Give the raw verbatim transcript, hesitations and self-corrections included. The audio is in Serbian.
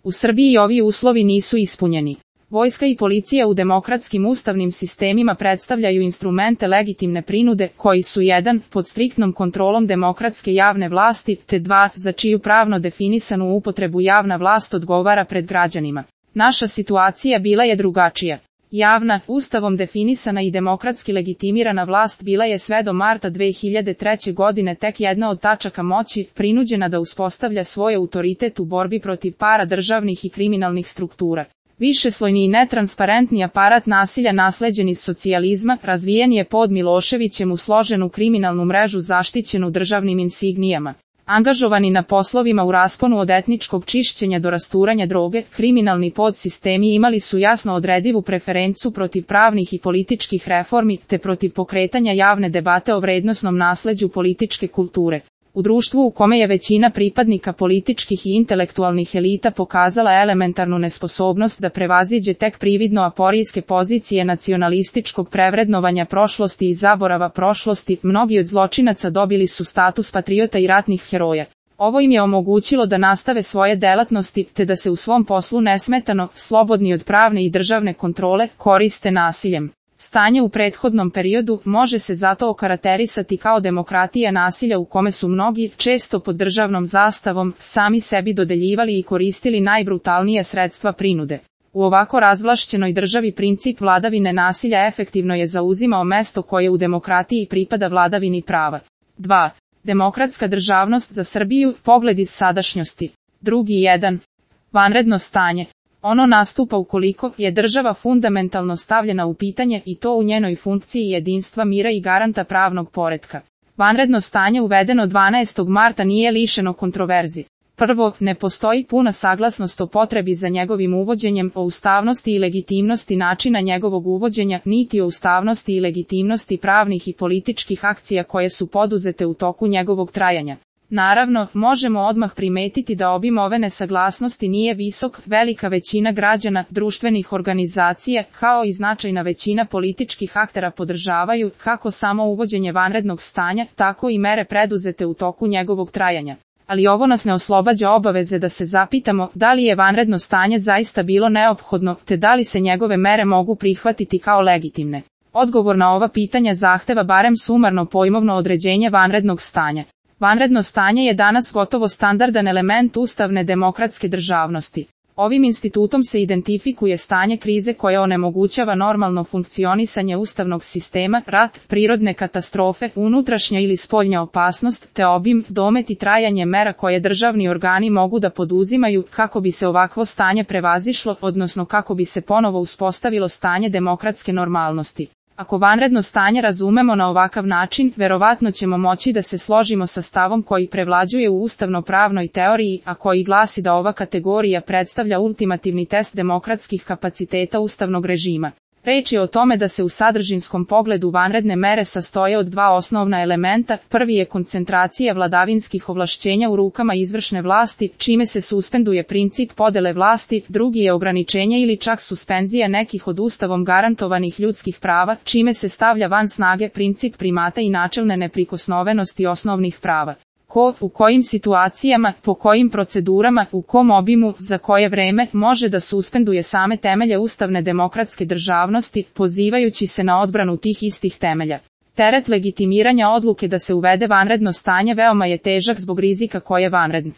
U Srbiji ovi uslovi nisu ispunjeni. Vojska i policija u demokratskim ustavnim sistemima predstavljaju instrumente legitimne prinude, koji su jedan, pod striktnom kontrolom demokratske javne vlasti, te dva, za čiju pravno definisanu upotrebu javna vlast odgovara pred građanima. Naša situacija bila je drugačija. Javna, ustavom definisana i demokratski legitimirana vlast bila je sve do marta dve hiljade treće. godine tek jedna od tačaka moći, prinuđena da uspostavlja svoj autoritet u borbi protiv paradržavnih i kriminalnih struktura. Višeslojni i netransparentni aparat nasilja nasleđen iz socijalizma razvijen je pod Miloševićem u složenu kriminalnu mrežu zaštićenu državnim insignijama. Angažovani na poslovima u rasponu od etničkog čišćenja do rasturanja droge, kriminalni podsistemi imali su jasno odredivu preferencu protiv pravnih i političkih reformi, te protiv pokretanja javne debate o vrednosnom nasleđu političke kulture. U društvu u kome je većina pripadnika političkih i intelektualnih elita pokazala elementarnu nesposobnost da prevaziđe tek prividno aporijske pozicije nacionalističkog prevrednovanja prošlosti i zaborava prošlosti, mnogi od zločinaca dobili su status patriota i ratnih heroja. Ovo im je omogućilo da nastave svoje delatnosti, te da se u svom poslu nesmetano, slobodni od pravne i državne kontrole, koriste nasiljem. Stanje u prethodnom periodu može se zato okarakterisati kao demokratija nasilja u kome su mnogi, često pod državnom zastavom, sami sebi dodeljivali i koristili najbrutalnije sredstva prinude. U ovako razvlašćenoj državi princip vladavine nasilja efektivno je zauzimao mesto koje u demokratiji pripada vladavini prava. dva. Demokratska državnost za Srbiju, pogled iz sadašnjosti. Drugi jedan. Vanredno stanje. Ono nastupa ukoliko je država fundamentalno stavljena u pitanje i to u njenoj funkciji jedinstva mira i garanta pravnog poretka. Vanredno stanje uvedeno dvanaestog marta nije lišeno kontroverzi. Prvo, ne postoji puna saglasnost o potrebi za njegovim uvođenjem, o ustavnosti i legitimnosti načina njegovog uvođenja, niti o ustavnosti i legitimnosti pravnih i političkih akcija koje su poduzete u toku njegovog trajanja. Naravno, možemo odmah primetiti da obim ove nesaglasnosti nije visok, velika većina građana, društvenih organizacija, kao i značajna većina političkih aktera podržavaju, kako samo uvođenje vanrednog stanja, tako i mere preduzete u toku njegovog trajanja. Ali ovo nas ne oslobađa obaveze da se zapitamo da li je vanredno stanje zaista bilo neophodno, te da li se njegove mere mogu prihvatiti kao legitimne. Odgovor na ova pitanja zahteva barem sumarno pojmovno određenje vanrednog stanja. Vanredno stanje je danas gotovo standardan element ustavne demokratske državnosti. Ovim institutom se identifikuje stanje krize koje onemogućava normalno funkcionisanje ustavnog sistema, rat, prirodne katastrofe, unutrašnja ili spoljna opasnost, te obim, domet i trajanje mera koje državni organi mogu da poduzimaju kako bi se ovakvo stanje prevazišlo, odnosno kako bi se ponovo uspostavilo stanje demokratske normalnosti. Ako vanredno stanje razumemo na ovakav način, verovatno ćemo moći da se složimo sa stavom koji prevlađuje u ustavno-pravnoj teoriji, a koji glasi da ova kategorija predstavlja ultimativni test demokratskih kapaciteta ustavnog režima. Reč je o tome da se u sadržinskom pogledu vanredne mere sastoje od dva osnovna elementa. Prvi je koncentracija vladavinskih ovlašćenja u rukama izvršne vlasti, čime se suspenduje princip podele vlasti, drugi je ograničenje ili čak suspenzija nekih od ustavom garantovanih ljudskih prava, čime se stavlja van snage princip primata i načelne neprikosnovenosti osnovnih prava. Ko, u kojim situacijama, po kojim procedurama, u kom obimu, za koje vreme, može da suspenduje same temelje ustavne demokratske državnosti, pozivajući se na odbranu tih istih temelja. Teret legitimiranja odluke da se uvede vanredno stanje veoma je težak zbog rizika koje vanredno